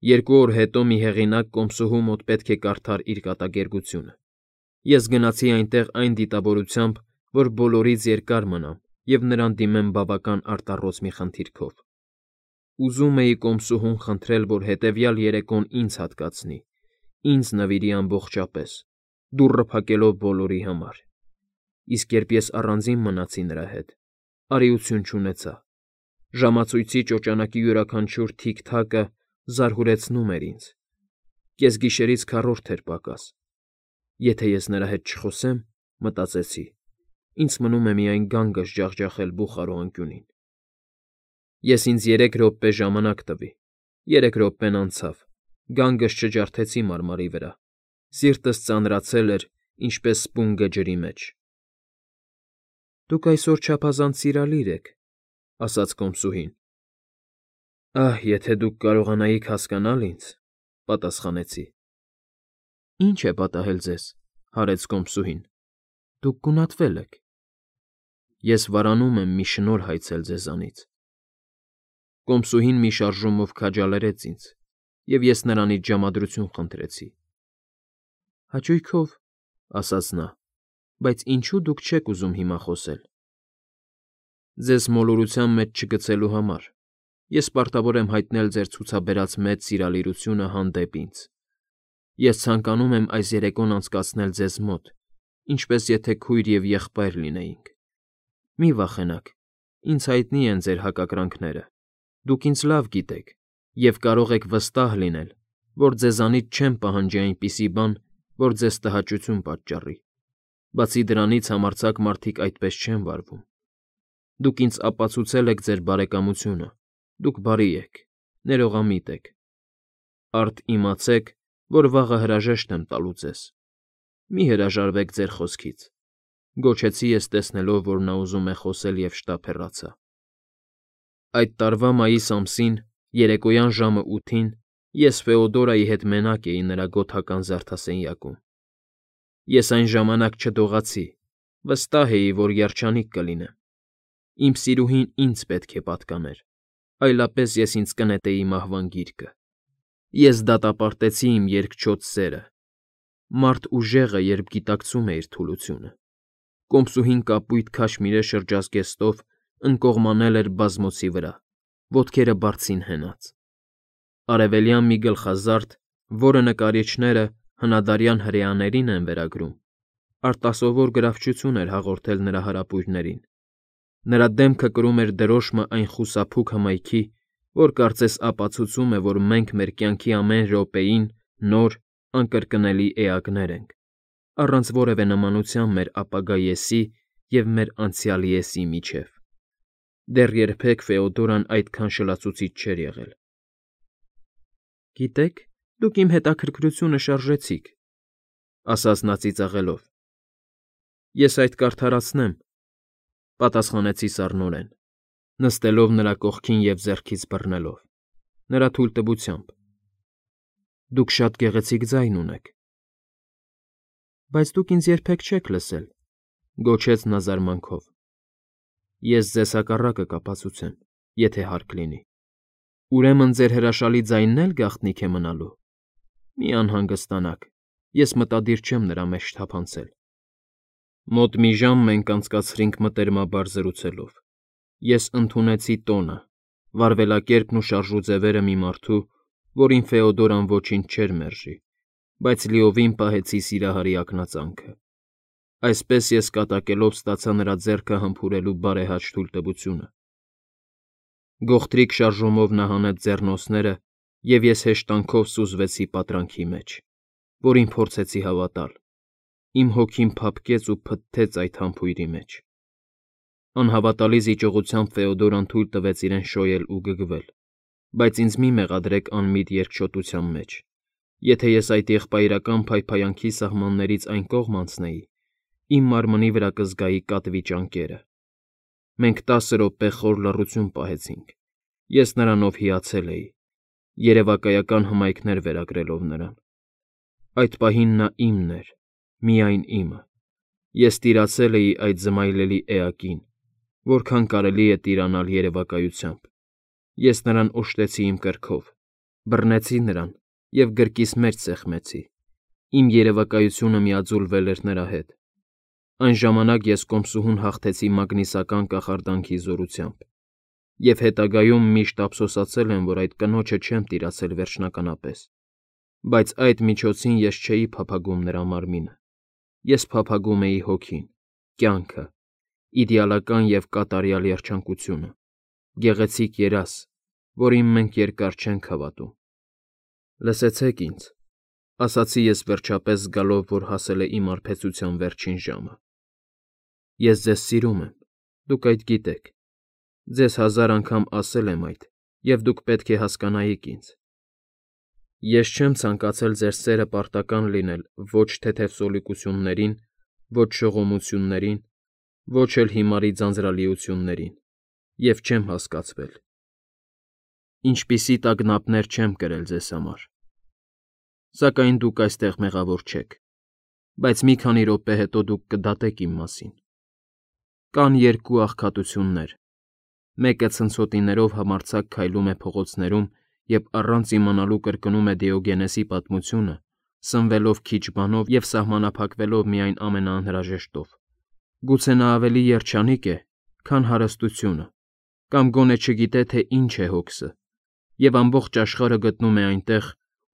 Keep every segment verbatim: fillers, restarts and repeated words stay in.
Երկու օր հետո մի հեղինակ կոմսուհու մոտ պետք է կարդար իր կատակերգությունը։ Ես գնացի այնտեղ այն դիտավորությամբ, որ բոլորից երկար մնամ և նրան դիմեմ բավական արտառոց մի խնդիրքով։ Ուզում էի կոմսուհուն խնդրել, որ հետևյալ երեկոն ինձ հատկացնի, ինձ նվիրի ամբողջապես, դուռը փակելով բոլորի համար։ Իսկ երբ ես առանձին մնացի նրա հետ, արիություն չունեցա։ Ժամացույցի ճոճանակի յուրաքանչյուր թիք֊թակը զարհուրեցնում էր ինձ։ Կեսգիշերից քառորդ էր պակաս։ Եթե ես նրա հետ չխոսեմ, մտածեցի, ինձ մնում է միայն գանգս ջախջախել բուխարու անկյունին։ Ես ինձ երեք րոպե ժամանակ տվի։ Երեք րոպեն անցավ, գանգս չջարդեցի մարմարի վրա, սիրտս ծանրացել էր, ինչպես սպունգը ջրի մեջ։ ֊ Դուք այսօր չափազանց սիրալիր եք, ֊ ասաց կոմսուհին։ ֊ Ահ, եթե դուք կարողանայիք հասկանալ ինձ, ֊ պատասխանեցի։ ֊ Ի՞նչ է պատահել ձեզ, ֊ հարց կոմսուհին։ ֊ Դուք գունատվել եք։ ֊ Ես վարանում եմ մի շնորհ հայցել ձեզանից։ Կոմսուհին մի շարժումով քաջալերեց ինձ, և ես նրանից ժամադրություն խնդրեցի։ ֊ Հաճույքով, ֊ ասաց նա, ֊ բայց ինչո՞ւ դուք չեք ուզում հիմա խոսել։ ֊ Ձեզ մոլորության մեջ չգցելու համար ես պարտավոր եմ հայտնել ձեր ցուցաբերած մեծ սիրալիրությունը հանդեպ ինձ։ Ես ցանկանում եմ այս երեկոն անցկացնել ձեզ մոտ, ինչպես եթե քույր և եղբայր լինեինք։ Մի վախենաք, ինձ հայտնի են ձեր հակակրանքները, դուք ինձ լավ գիտեք և կարող եք վստահ լինել, որ ձեզանից չեմ պահանջի այնպիսի բան, որ ձեզ տհաճություն պատճառի։ Բացի դրանից համարձակ մարդիկ այդպես չեն վարվում։ Դուք ինձ ապացուցել եք ձեր բարեկամությունը, դուք բարի եք, ներողամիտ եք։ Արդ իմացեք, որ վաղը հրաժեշտ եմ տալու ձեզ։ Մի հրաժարվեք ձեր խոսքից, ֊ գոչեցի ես, տեսնելով, որ նա ուզում է խոսել և շտապ հեռացա։ Այդ տարվա մայիս ամսին, երեկոյան ժամը ութին ես Ֆեոդորայի հետ մենակ էի նրա գոթական զարդասենյակում։ Ես այն ժամանակ չդողացի, վստահ էի, որ երջանիկ կլինեմ։ Իմ սիրուհին ինձ պետք է պատկաներ, այլապես ես ինձ կնետեի մահվան գիրկը։ Ես դատապարտեցի իմ երկչոտ սերը։ Մարդ ուժեղ է, երբ գիտակցում է իր թուլությունը։ Կոմսուհին կապույտ քաշմիրե շրջազգեստով ընկողմանել էր բազմոցի վրա, ոտքերը բարձին հենած։ Արևելյան մի գլխազարդ, որը նկարիչները հնադարյան հրեաներին են վերագրում, արտասովոր գրավչություն էր հաղորդել նրա հարապույրներին։ Նրա դեմքը կրում էր դրոշմը այն խուսափուկ հմայքի, որ կարծես ապացուցում է, որ մենք մեր կյանքի ամեն րոպեին նոր, անկրկնելի էակներ ենք, առանց որևէ նմանության մեր ապագա ես֊ի և մեր անցյալ ես֊ի միջև։ Դեռ երբեք Ֆեոդորան այդքան շլացուցիչ չէր եղել։ ֊ Գիտեք, դուք իմ հետաքրքրությունը շարժեցիք, ֊ ասաց նա ծիծաղելով։ ֊ Ես այդ կարդարացնեմ, ֊ պատասխանեցի սառնորեն, նստելով նրա կողքին և ձեռքից բռնելով, նրա թույլտվությամբ։ ֊ Դուք շատ գեղեցիկ ձայն ունեք։ ֊ Բայց դուք ինձ երբեք չեք լսել, ֊ գոչեց նա զարմանքով։ ֊ Ես ձեզ հակառակը կապացուցեմ, եթե հարկ լինի։ Ուրեմն ձեր հրաշալի ձայնն էլ գաղտնիք է մնալու։ Մի անհանգստանաք, ես մտադիր չեմ նրա մեջ թափանցել։ Մոտ մի ժամ մենք անցկացրինք մտերմաբար զրուցելով։ Ես ընդունեցի տոնը, վարվելակերպն ու շարժուձևերը մի մարդու, որին Ֆեոդորան ոչինչ չէր մերժի, բայց լիովին պահեցի սիրահարի ակնածանքը։ Այսպես ես կատակելով ստացա նրա ձեռքը համբուրելու բարեհաճ թույլտվությունը։ Գողտրիկ շարժումով նա հանեց ձեռնոցները, և ես հեշտանքով սուզվեցի պատրանքի մեջ, որին փորձեցի հավատալ։ Իմ հոգին փափկեց ու փթթեց այդ համբույրի մեջ։ Անհավատալի զիջողությամբ Ֆեոդորան թույլ տվեց իրեն շոյել ու գգվել, բայց ինձ մի մեղադրեք անմիտ երկչոտության մեջ։ Եթե ես այդ եղբայրական փայփայանքի սահմաններից այն կողմ անցնեի, իմ մարմնի վրա կզգայի կատվի ճանկերը։ Մենք տասը րոպե խոր լռություն պահեցինք։ Ես նրանով հիացել էի, երևակայական հմայքներ վերագրելով նրան։ Այդ պահին նա իմն էր, միայն իմը։ Ես տիրացել էի այդ զմայլելի էակին, որքան կարելի է տիրանալ երևակայությամբ։ Ես նրան օժտեցի իմ կրքով, բռնեցի նրան և գրկիս մեջ սեղմեցի, իմ երևակայությունը միաձուլվել էր նրա հետ, այն ժամանակ ես կոմսուհուն հաղթեցի մագնիսական կախարդանքի զորությամբ և հետագայում միշտ ափսոսացել եմ, որ այդ կնոջը չեմ տիրացել վերջնականապես, բայց այդ միջոցին ես չէի փափագում նրա մարմինը, ես փափագում էի հոգին, կյանքը, իդեալական և կատարյալ երջանկությունը, գեղեցիկ երազ, որին մենք երկար չենք հավատում։ Լսեցեք ինձ, ասացի ես վերջապես զգալով, որ հասել է իմ արբեցության վերջին ժամը։ Ես ձեզ սիրում եմ, դուք այդ գիտեք, ձեզ հազար անգամ ասել եմ այդ, և դուք պետք է հասկանայիք ինձ։ Ես չեմ ցանկացել ձեր սերը պարտական լինել ոչ թեթև սոլիկություններին, ոչ շողոմություններին, ոչ էլ հիմարի ձանձրալիություններին, և չեմ հասկացվել։ Ինչպիսի տագնապներ չեմ կրել ձեզ համար։ Սակայն դուք այստեղ մեղավոր չեք, բայց մի քանի րոպե հետո դուք կդատեք իմ մասին։ Կան երկու աղքատություններ, մեկը ցնցոտիներով համարձակ քայլում է փողոցներում և առանց իմանալու կրկնում է Դիոգենեսի պատմությունը, սնվելով քիչ բանով և սահմանափակվելով միայն ամենաանհրաժեշտով։ Գուցե նա ավելի երջանիկ է, քան հարստությունը, կամ գոնե չգիտե, թե ինչ է հոգսը, և ամբողջ աշխարհը գտնում է այնտեղ,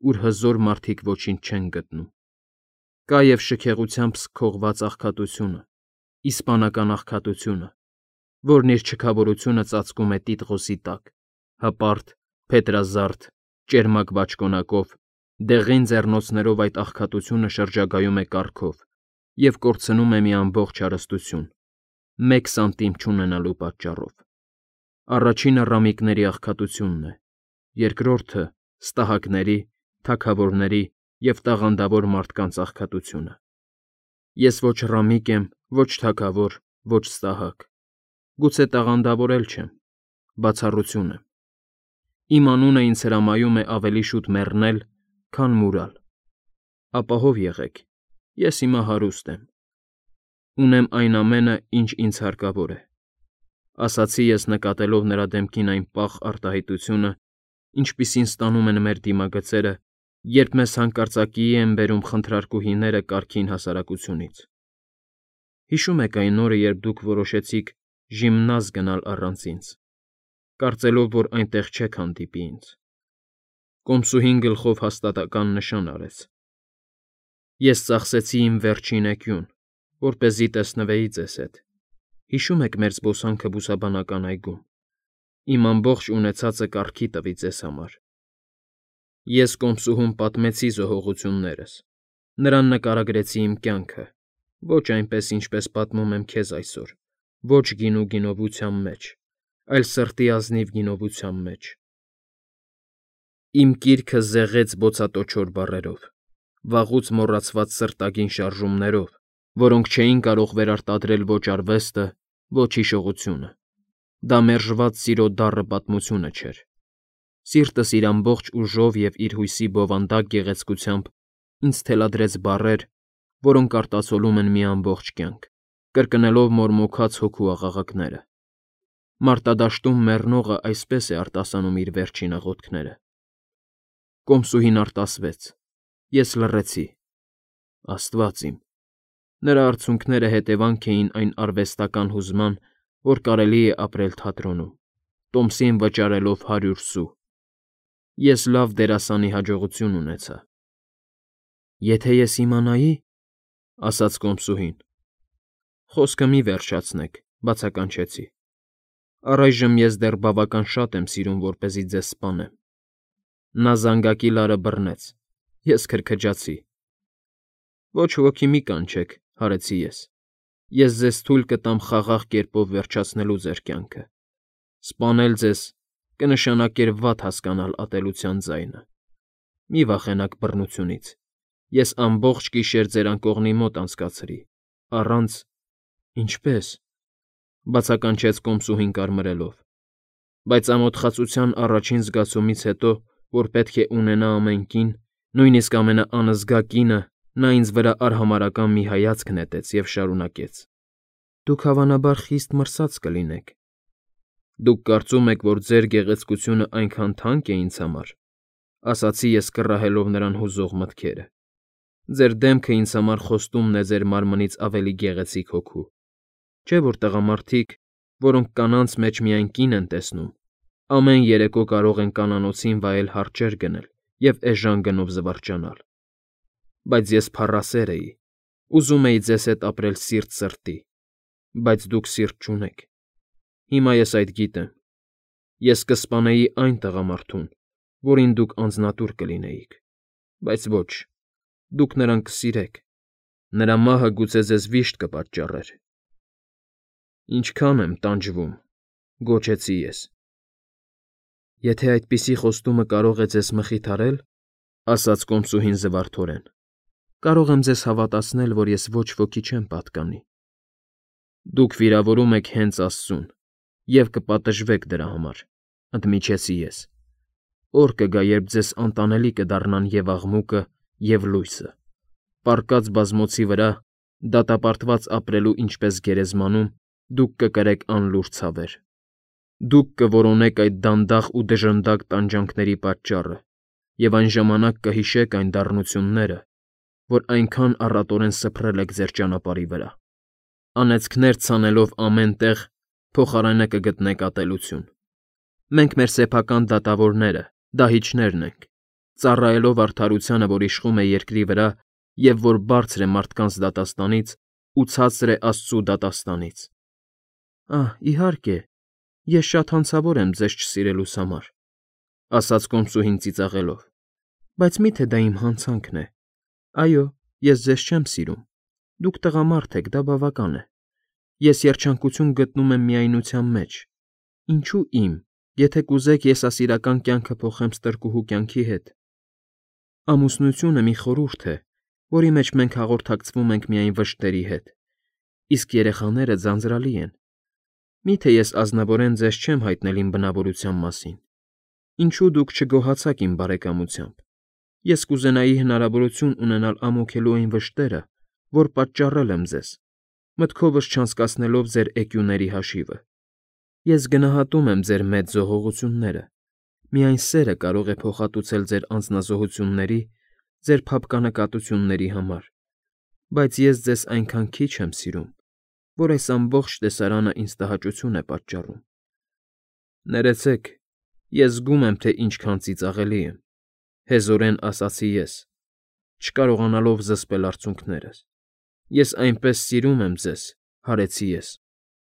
ուր հզոր մարդիկ ոչինչ չեն գտնում։ Կա և շքեղությամբ սքողված աղքատությունը, իսպանական աղքատությունը, որն իր չքավորությունը ծածկում է տիտղոսի տակ, հպարտ, փետրազարդ, ճերմակ բաճկոնակով, դեղին ձեռնոցներով այդ աղքատությունը շրջագայում է կառքով և կորցնում է մի ամբողջ հարստություն, մեկ սանտիմ չունենալու պատճառով։ Առաջինը ռամիկների աղքատությունն է, երկրորդը՝ ստահակների, թագավորների և տաղանդավոր մարդկանց աղքատությունը։ Ես ոչ ռամիկ եմ, ոչ թագավոր, ոչ ստահակ, գուցե տաղանդավոր էլ չեմ, բացառություն եմ։ Իմ անունը ինձ հրամայում է ավելի շուտ մեռնել, քան մուրալ։ Ապահով եղեք, ես հիմա հարուստ եմ։ Ունեմ այն ամենը, ինչ ինձ հարկավոր է, ասացի ես նկատելով նրա դեմքին այն պաղ արտահայտությունը, ինչպիսին ստանում են մեր դիմագծերը, երբ մեզ հանկարծակիի են բերում խնդրարկուհիները կարգին հասարակությունից։ Հիշո՞ւմ եք այն օրը, երբ դուք որոշեցիք ժիմնազ գնալ առանց ինձ, կարծելով, որ այնտեղ չեք հանդիպի ինձ։ Կոմսուհին գլխով հաստատական նշան արեց։ Ես ծախսեցի իմ վերջին էկյուն, որպեսզի տեսնվեի ձեզ հետ։ Հիշո՞ւմ եք մեր զբոսանքը բուսաբանական այգում։ Իմ ամբողջ ունեցածը կառքի տվի ձեզ համար։ Ես կոմսուհուն պատմեցի զոհողություններս, նրան նկարագրեցի իմ կյանքը, ոչ այնպես, ինչպես պատմում եմ քեզ այսօր, ոչ գինու գինովության մեջ, այլ սրտի ազնիվ գինովության մեջ։ Իմ կիրքը զեղեց բոցատոչոր բառերով, վաղուց մոռացված սրտագին շարժումներով, որոնք չէին կարող վերարտադրել ոչ արվեստը, ոչ հիշողությունը։ Դա մերժված սիրո դառը պատմությունը չէր։ Սիրտս իր ամբողջ ուժով և իր հույսի բովանդակ գեղեցկությամբ ինձ թելադրեց բառեր, որոնք արտացոլում են մի ամբողջ կյանք, կրկնելով մորմոքած հոգու աղաղակները։ Մարտադաշտում մեռնողը այսպես է արտասանում իր վերջին աղոթքները։ Կոմսուհին արտասվեց։ Ես լռեցի։ Աստված իմ։ Նրա արցունքները հետևանք էին այն արվեստական հուզման, որ կարելի է ապրել թատրոնում, տոմսին վճարելով հարյուր սու։ Ես լավ դերասանի հաջողություն ունեցա։ Եթե ես իմանայի, ասաց կոմսուհին։ Խոսքը մի վերջացնեք, բացականչեցի։ Առայժմ ես դեռ բավական շատ եմ սիրում, որպեսզի ձեզ սպանեմ։ Նա զանգակի լարը բռնեց, ես քրքջացի։ Ոչ ոքի մի կանչեք, հարեցի ես։ Ես ձեզ թույլ կտամ խաղաղ կերպով վերջացնելու ձեր կյանքը։ Սպանել ձեզ կնշանակեր վատ հասկանալ ատելության ձայնը։ Մի վախենաք բռնությունից։ Ես ամբողջ գիշեր ձեր անկողնի մոտ անցկացրի, առանց… Ինչպե՞ս, բացականչեց կոմսուհին կարմրելով։ Բայց ամոթխածության առաջին զգացումից հետո, որ պետք է ունենա ամեն կին, նույնիսկ ամենաանզգա կինը, նա ինձ վրա արհամարհական մի հայացք նետեց և շարունակեց. Դուք հավանաբար խիստ մրսած կլինեք։ Դուք կարծում եք, որ ձեր գեղեցկությունը այնքան թանկ է ինձ համար, ասացի ես կռահելով նրան հուզող մտքերը։ Ձեր դեմքը ինձ համար խոստումն է ձեր մարմնից ավելի գեղեցիկ հոգու։ Չէ՞ որ տղամարդիկ, որոնք կանանց մեջ միայն կին են տեսնում, ամեն երեկո կարող են կանանոցին վայել հարճեր գնել և էժան գնով զվարճանալ։ Բայց ես փառասեր էի, ուզում էի ձեզ հետ ապրել սիրտ սրտի, բայց դուք սիրտ չունեք։ Հիմա ես այդ գիտեմ։ Ես կսպանեի այն տղամարդուն, որին դուք անձնատուր կլինեիք, բայց ոչ, դուք նրան կսիրեք, նրա մահը գուցե ձեզ վիշտ կպատճառեր։ Ինչքան եմ տանջվում, գոչեցի ես։ Եթե այդպիսի խոստումը կարող է ձեզ մխիթարել, ասաց կոմսուհին զվարթորեն, կարող եմ ձեզ հավատացնել, որ ես ոչ ոքի չեմ պատկանի։ Դուք վիրավորում եք հենց Աստծուն և կպատժվեք դրա համար, ընդմիջեցի ես։ Օր կգա, երբ ձեզ անտանելի կդառնան և աղմուկը, և լույսը, պառկած բազմոցի վրա, դատապարտված ապրելու ինչպես գերեզմանում, դուք կկրեք անլուռ ցավեր։ Դուք կորոնեք այդ դանդաղ ու դժնդակ տանջանքների պատճառը և այն ժամանակ կհիշեք այն դառնությունները, որ այնքան առատորեն սփռել եք ձեր ճանապարհի վրա։ Անեծքներ ցանելով ամեն տեղ, փոխարենը կգտնեք ատելություն։ Մենք մեր սեփական դատավորները, դահիճներն ենք, ծառայելով արդարությանը, որ իշխում է երկրի վրա և որ բարձր է մարդկանց դատաստանից ու ցածր է Աստծու դատաստանից։ Ահ, իհարկե, ես շատ հանցավոր եմ ձեզ չսիրելուս համար, ասաց կոմսուհին ծիծաղելով, բայց մի՞թե դա իմ հանցանքն է։ Այո, ես ձեզ չեմ սիրում, դուք տղամարդ եք, դա բավական է։ Ես երջանկություն գտնում եմ միայնության մեջ։ Ինչու իմ, եթե կուզեք, ես ասիրական կյանքը փոխեմ ստրկուհու կյանքի հետ։ Ամուսնությունը մի խորհուրդ է, որի մեջ մենք հաղորդակցվում ենք միայն վշտերի հետ, իսկ երեխաները ձանձրալի են։ Մի՞թե ես ազնվորեն ձեզ չեմ հայտնել իմ բնավորության մասին։ Ինչու դուք չգոհացաք իմ բարեկամությամբ։ Ես կուզենայի հնարավորություն ունենալ ամոթելու այն վշտերը, որ պատճառել եմ ձեզ, մտքովս չանցկացնելով ձեր էկյուների հաշիվը։ Ես գնահատում եմ ձեր մեծ զոհողությունները, միայն սերը կարող է փոխհատուցել ձեր անձնազոհությունների, ձեր փափկանկատությունների համար, բայց ես ձեզ այնքան քիչ եմ սիրում, որ այս ամբողջ տեսարանը ինձ տհաճություն է պատճառում։ Ներեցեք, ես զգում եմ, թե ինչքան ծիծաղելի եմ, հեզորեն ասացի ես, չկարողանալով զսպել արցունքներս։ Ես այնպես սիրում եմ ձեզ, հարեցի ես,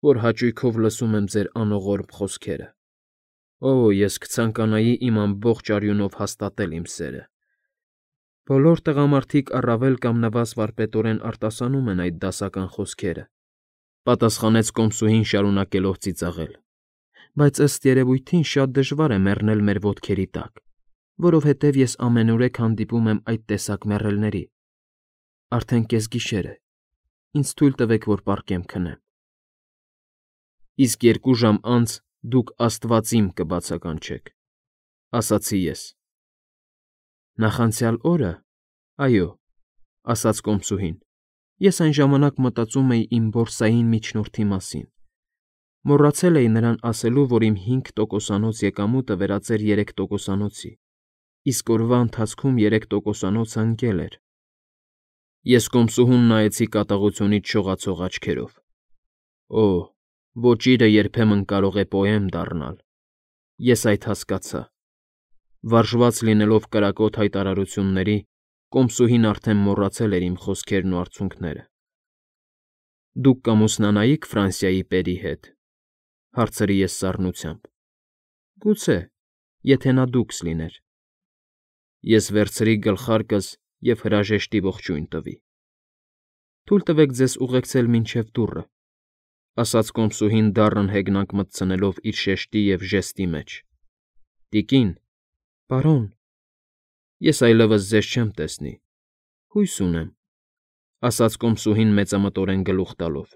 որ հաճույքով լսում եմ ձեր անողորմ խոսքերը։ Օ, ես կցանկանայի իմ ամբողջ արյունով հաստատել իմ սերը։ Բոլոր տղամարդիկ առավել կամ նվազ վարպետորեն արտասանում են այդ դասական խոսքերը, պատասխանեց կոմսուհին շարունակելով ծիծաղել, բայց ըստ երևույթին շատ դժվար է մեռնել մեր ոտքերի տակ, որովհետև ես ամենուրեք հանդիպում եմ այդ տեսակ մեռելների։ Արդեն կեսգիշեր է, ինձ թույլ տվեք, որ պառկեմ քնեմ։ Իսկ երկու ժամ անց դուք աստվածիմ կբացականչեք, ասացի ես։ Նախանցյալ օրը, այո, ասաց կոմսուհին, ես այն ժամանակ մտածում էի իմ բորսային միջնորդի մասին։ Մոռացել էի նրան ասելու, որ իմ հինգ տոկոսանոց եկամուտը վերածեր երեք տոկոսանոցի, իսկ օրվա ընթացքում երեք տոկոսանոցը ընկել էր։ Ես կոմսուհուն նայեցի կատաղությունից շողացող աչքերով։ Օ, ոճիրը երբեմն կարող է պոեմ դառնալ։ Ես այդ հասկացա։ Վարժված լինելով կրակոտ հայտարարությունների, կոմսուհին արդեն մոռացել էր իմ խոսքերն ու արցունքները։ Դուք կամուսնանայիք Ֆրանսիայի պերի հետ, հարցրի ես սառնությամբ։ Գուցե, եթե նա դուքս լիներ։ Ես վերցրի գլխարկս և հրաժեշտի ողջույն տվի։ Թույլ տվեք ձեզ ուղեկցել մինչև դուռը, ասաց կոմսուհին դառն հեգնանք մտցնելով իր շեշտի և ժեստի մեջ։ Տիկին, պարոն, ես այլևս ձեզ չեմ տեսնի, հույս ունեմ, ասաց կոմսուհին մեծամտորեն գլուխ տալով։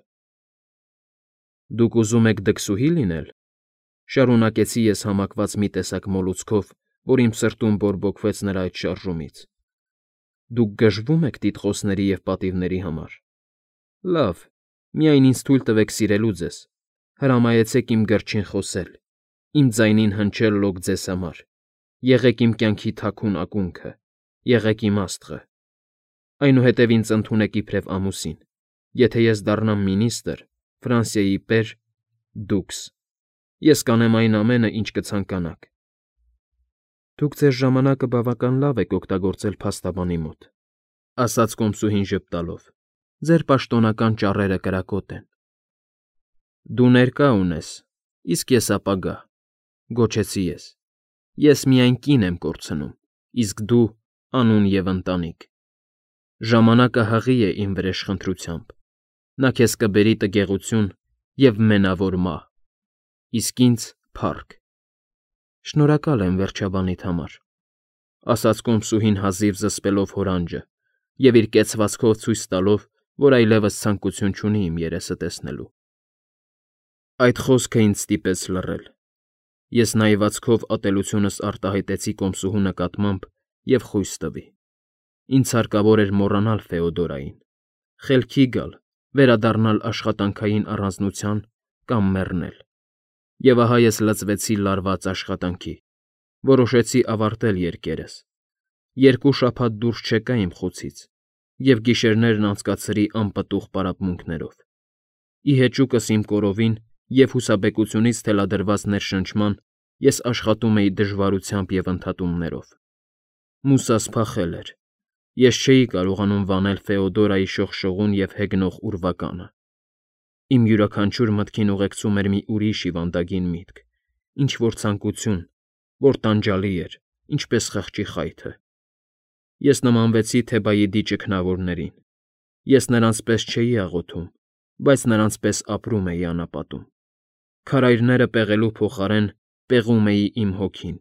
Դուք ուզում եք դքսուհի լինել, շարունակեցի ես համակված մի տեսակ մոլուցքով, որ իմ սրտում բորբոքվեց նրա այդ շարժումից։ Դուք գժվում եք տիտղոսների և պատիվների համար։ Լավ, միայն ինձ թույլ տվեք սիրելու ձեզ, հրամայեցեք իմ գրչին խոսել, իմ ձայնին հնչել լոկ ձեզ համար, Եղեք իմ կյանքի թաքուն ակունքը, եղեք իմ աստղը։ Այնուհետև ինձ ընդունեք իբրև ամուսին, եթե ես դառնամ մինիստր, Ֆրանսիայի պեր, դուքս, ես կանեմ այն ամենը, ինչ կցանկանաք։ Դուք ձեր ժամանակը բավական լավ եք օգտագործել փաստաբանի մոտ, ասաց կոմսուհին ժպտալով, ձեր պաշտոնական ճառերը կրակոտ են։ Դու ներկա ունես, իսկ ես ապագա, գոչեցի ես։ Ես միայն կին եմ կորցնում, իսկ դու անուն և ընտանիք։ Ժամանակը հղի է իմ վրեժխնդրությամբ, նա քեզ կբերի տգեղություն և մենավոր մահ, իսկ ինձ՝ փառք։ Շնորհակալ եմ վերջաբանիդ համար, ասաց կոմսուհին հազիվ զսպելով հորանջը և իր կեցվածքով ցույց տալով, որ այլևս ցանկություն չունի իմ երեսը տեսնելու։ Այդ խոսքը ինձ ստիպեց լռել։ Ես նայվածքով ատելությունս արտահայտեցի կոմսուհու նկատմամբ և խույս տվի։ Ինձ հարկավոր էր մոռանալ Ֆեոդորային, խելքի գալ, վերադառնալ աշխատանքային առանձնության կամ մեռնել։ Եվ ահա ես լծվեցի լարված աշխատանքի, որոշեցի ավարտել երկերս, երկու շաբաթ դուրս չեկա իմ խոցից և գիշերներն անցկացրի անպտուղ պարապմունքներով։ Ի հեճուկս իմ կորովին և հուսաբեկությունից թելադրված ներշնչման ես աշխատում էի դժվարությամբ և ընդհատումներով։ Մուսաս փախել էր։ Ես չէի կարողանում վանել Ֆեոդորայի շողշողուն և հեգնող ուրվականը։ Իմ յուրաքանչյուր մտքին ուղեկցում էր մի ուրիշ հիվանդագին միտք, ինչ֊որ ցանկություն, որ տանջալի էր, ինչպես խղճի խայթը։ Ես նմանվեցի Թեբայիդի ճգնավորներին։ Ես նրանց պես չէի աղոթում, բայց նրանց պես ապրում էի անապատում։ Քարայրները պեղելու փոխարեն պեղում էի իմ հոգին։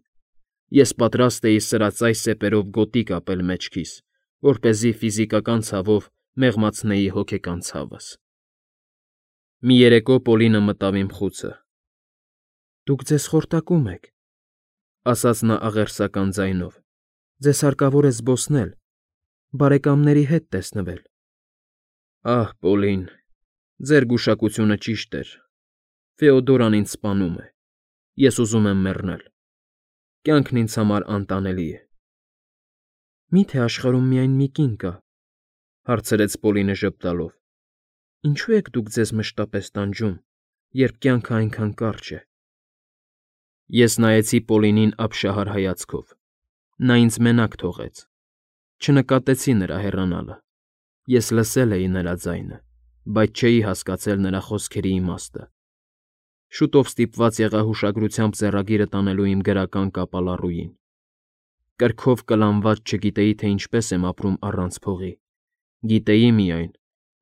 Ես պատրաստ էի սրածայ սեպերով գոտի կապել մեջքիս, որպեսզի ֆիզիկական ցավով մեղմացնեի հոգեկան ցավս։ Մի երեկո Պոլինը մտավ իմ խուցը։ Դուք ձեզ խորտակում եք, ասաց նա աղերսական ձայնով։ Ձեզ հարկավոր է զբոսնել, բարեկամների հետ տեսնվել։ Ահ, Պոլին, ձեր գուշակությունը ճիշտ էր։ Ֆեոդորան ինձ սպանում է։ Ես ուզում եմ մեռնել։ Կյանքն ինձ համար անտանելի է։ Մի՞թե աշխարհում միայն մի կին կա, հարցրեց Պոլինը ժպտալով։ Ինչու եք դուք ձեզ մշտապես տանջում, երբ կյանքը այնքան կարճ է։ Ես նայեցի Պոլինին ապշահար հայացքով։ Նա ինձ մենակ թողեց։ Չնկատեցի նրա հեռանալը։ Ես լսել էի նրա ձայնը, բայց չէի հասկացել նրա խոսքերի իմաստը։ Շուտով ստիպված եղա հուշագրությամբ ձեռագիրը տանելու իմ գրական կապալառուին։ Կրքով կլանված չգիտեի, թե ինչպես եմ ապրում առանց փողի։ Գիտեի միայն,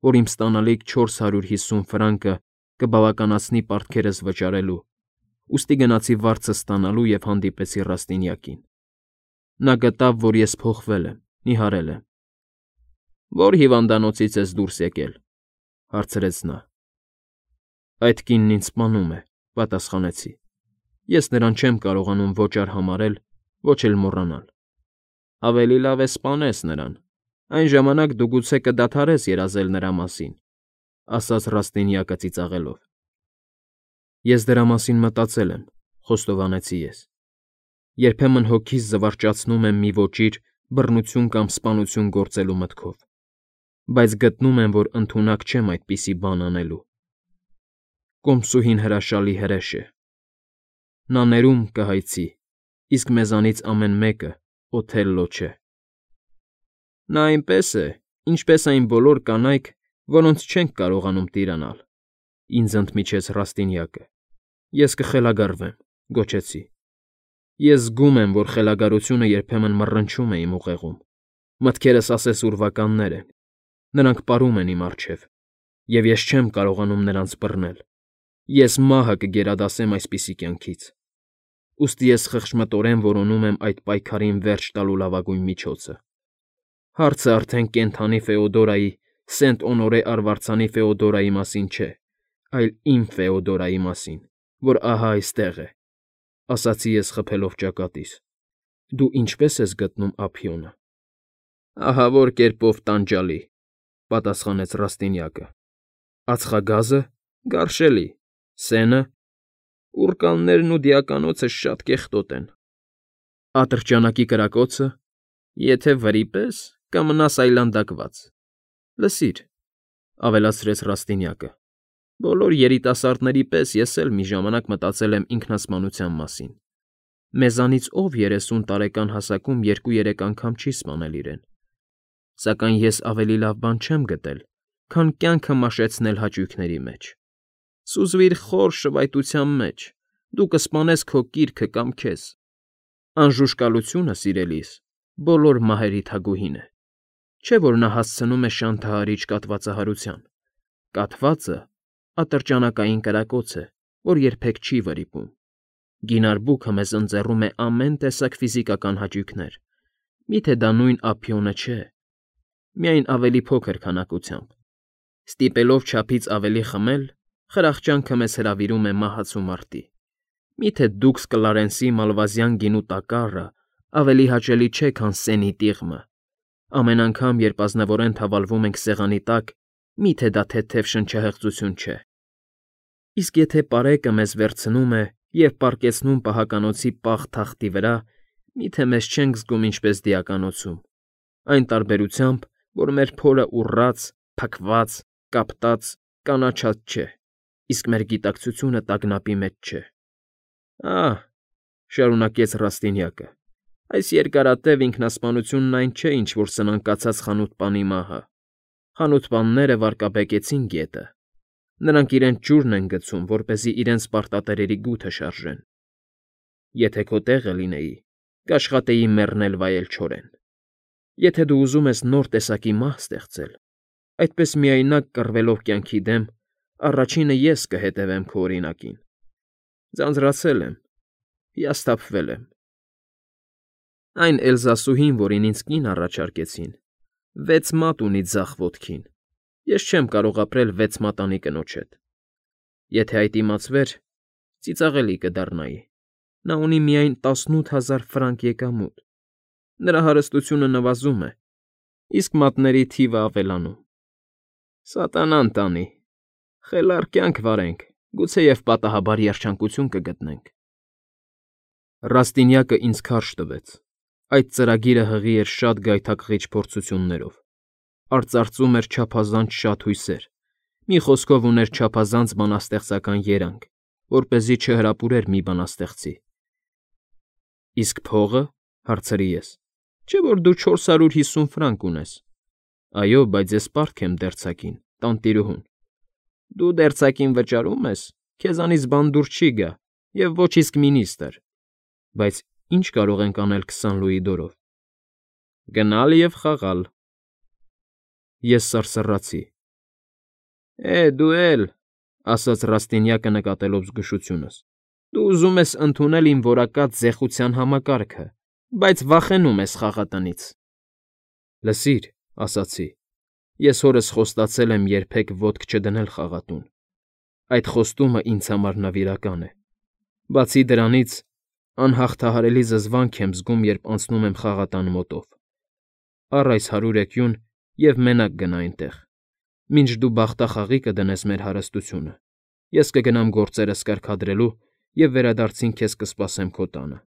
որ իմ ստանալիք չորս հարյուր հիսուն ֆրանկը կբավականացնի պարտքերս վճարելու, ուստի գնացի վարձը ստանալու և հանդիպեցի Ռաստինյակին։ Նա գտավ, որ ես փոխվել եմ, նիհարել եմ։ Ո՞ր հիվանդանոցից ես դուրս եկել, հարցրեց նա։ Այդ կինն ինձ սպանում է, պատասխանեցի։ Ես նրան չեմ կարողանում ոչ արհամարհել, ոչ էլ մոռանալ։ Ավելի լավ է սպանես նրան, այն ժամանակ դու գուցե կդադարես երազել նրա մասին, ասաց Ռաստինյակը ծիծաղելով։ Ես դրա մասին մտածել եմ, խոստովանեցի ես։ Երբեմն հոգիս զվարճացնում եմ մի ոճիր բռնություն կամ սպանություն գործելու մտքով, բայց գտնում եմ, որ ընդունակ չեմ այդպիսի բան անելու։ Կոմսուհին հրաշալի հրեշ է։ Նա ներում կհայցի, իսկ մեզանից ամեն մեկը Օթելլո չէ։ Նա այնպես է, ինչպես այն բոլոր կանայք, որոնց չենք կարողանում տիրանալ, ինձ ընդմիջեց Ռաստինյակը։ Ես կխելագարվեմ, գոչեցի։ Ես զգում եմ, որ խելագարությունը երբեմն մռնչում է իմ ուղեղում։ Մտքերս ասես ուրվականներ են, նրանք պարում են իմ առջև, և ես չեմ կարողանում նրանց բռնել։ Ես մահը կգերադասեմ այսպիսի կյանքից։ Ուստի ես խղճմտորեն որոնում եմ այդ պայքարին վերջ տալու լավագույն միջոցը։ Հարցը արդեն կենդանի Ֆեոդորայի, Սենտ Օնորե արվարձանի Ֆեոդորայի մասին չէ, այլ իմ Ֆեոդորայի մասին, որ ահա այստեղ է, ասացի ես խփելով ճակատիս։ Դու ինչպե՞ս ես գտնում ափիոնը։ Ահավոր կերպով տանջալի, պատասխանեց Ռաստինյակը։ Ածխագազը՝ գարշելի, սենը՝ ուռկաններն ու դիականոցը շատ կեղտոտ են։ Ատրճանակի կրակոցը, եթե վրիպես, կմնաս այլանդակված։ Լսիր, ավելացրեց Ռաստինյակը, բոլոր երիտասարդների պես ես էլ մի ժամանակ մտածել եմ ինքնասպանության մասին։ Մեզանից ով երեսուն տարեկան հասակում երկու֊երեք անգամ չի սպանել իրեն։ Սակայն ես ավելի լավ բան չեմ գտել, քան կյանքը մաշեցնել հաճույքների մեջ։ Սուզվիր խոր շվայտության մեջ, դու կսպանես քո կիրքը կամ քեզ։ Անժուշկալությունը, սիրելիս, բոլոր մահերի թագուհին է։ Չէ՞ որ նա հասցնում է շանթահարիչ կաթվածահարության։ Կաթվածը ատրճանակային կրակոց է, որ երբեք չի վրիպում։ Գինարբուքը մեզ ընձեռում է ամեն տեսակ ֆիզիկական հաճույքներ։ Միթե դա նույն ափիոնը չէ, միայն ավելի փոքր քանակությամբ։ Ստիպելով չափից ավելի խմել, խրախճանքը մեզ հրավիրում է մահացու մարտի։ Միթե դուքս Կլարենսի մալվազյան գինու տակառը ավելի հաճելի չէ, քան Սենի տիղմը։ Ամեն անգամ, երբ ազնվորեն թավալվում ենք սեղանի տակ, միթե դա թեթև շնչահեղձություն չէ։ Իսկ եթե պարեկը մեզ վերցնում է և պառկեցնում պահականոցի պաղ թախտի վրա, միթե մեզ չենք զգում ինչպես դիականոցում, այն տարբերությամբ, որ մեր փորը ուռած, փքված, կապտած, կանաչած չէ, իսկ մեր գիտակցությունը տագնապի մեջ չէ։ Ահ,֊ շարունակեց Ռաստինյակը,֊ այս երկարատև ինքնասպանությունն այն չէ, ինչ որ սնանկացած խանութպանի մահը։ Խանութպանները վարկաբեկեցին գետը։ Նրանք իրենց ջուրն են գցում, որպեսզի իրենց պարտատերերի գութը շարժեն։ Եթե քո տեղը լինեի, կաշխատեի մեռնել վայել չորեն։ Եթե դու ուզում ես նոր տեսակի մահ ստեղծել, այդպես միայնակ կռվելով կյանքի դեմ, առաջինը ես կհետևեմ քո օրինակին։ Ձանձրացել եմ, հիասթափվել եմ։ Այն Էլզասուհին, որին ինձ կին առաջարկեցին, վեց մատ ունի ձախ ոտքին, ես չեմ կարող ապրել վեց մատանի կնոջ հետ։ Եթե այդ իմացվեր, ծիծաղելի կդառնայի։ Նա ունի միայն տասնութ հազար ֆրանկ եկամուտ։ Նրա հարստությունը նվազում է, իսկ մատների թիվը ավելանում։ Սատանան տանի։ Խելառ կյանք վարենք, գուցեև պատահաբար երջանկություն կգտնենք։ Ռաստինյակը ինձ քարշ տվեց։ Այդ ծրագիրը հղի էր շատ գայթակղիչ փորձություններով։ Արծարծում էր չափազանց շատ հույսեր։ Մի խոսքով ուներ չափազանց բանաստեղծական երանգ, որպեսզի չհրապուրեր մի բանաստեղծի։ Իսկ փողը,֊ հարցրի ես,֊ չէ՞ որ դու չորս հարյուր հիսուն ֆրանկ ունես։ Այո, բայց ես պարտք եմ դերձակին, տանտիրուհուն։ Դու դերձակին վճարում ես, քեզանից բան դուր չի գա, և ոչ իսկ մինիստր։ Բայց ի՞նչ կարող ենք անել քսան լուի դորով։ Գնալ և խաղալ։ Ես սարսռացի։ Է, դու էլ,֊ ասաց Ռաստինյակը նկատելով զգուշությունս,֊ դու ուզում ես ընդունել իմ որակած զեխության համակարգը, բայց վախենում ես խաղատնից։ Լսիր,֊ ասացի,֊ ես հորս խոստացել եմ երբեք ոտք չդնել խաղատուն։ Այդ խոստումը ինձ համար նվիրական է։ Բացի դրանից, անհաղթահարելի զզվանք եմ զգում, երբ անցնում եմ խաղատան մոտով։ Առ այս հարյուր էկյուն և մենակ գնա այնտեղ։ Մինչ դու բախտախաղի կդնես մեր հարստությունը, ես կգնամ գործերս կարգադրելու և վերադարձին քեզ կսպասեմ քո տանը։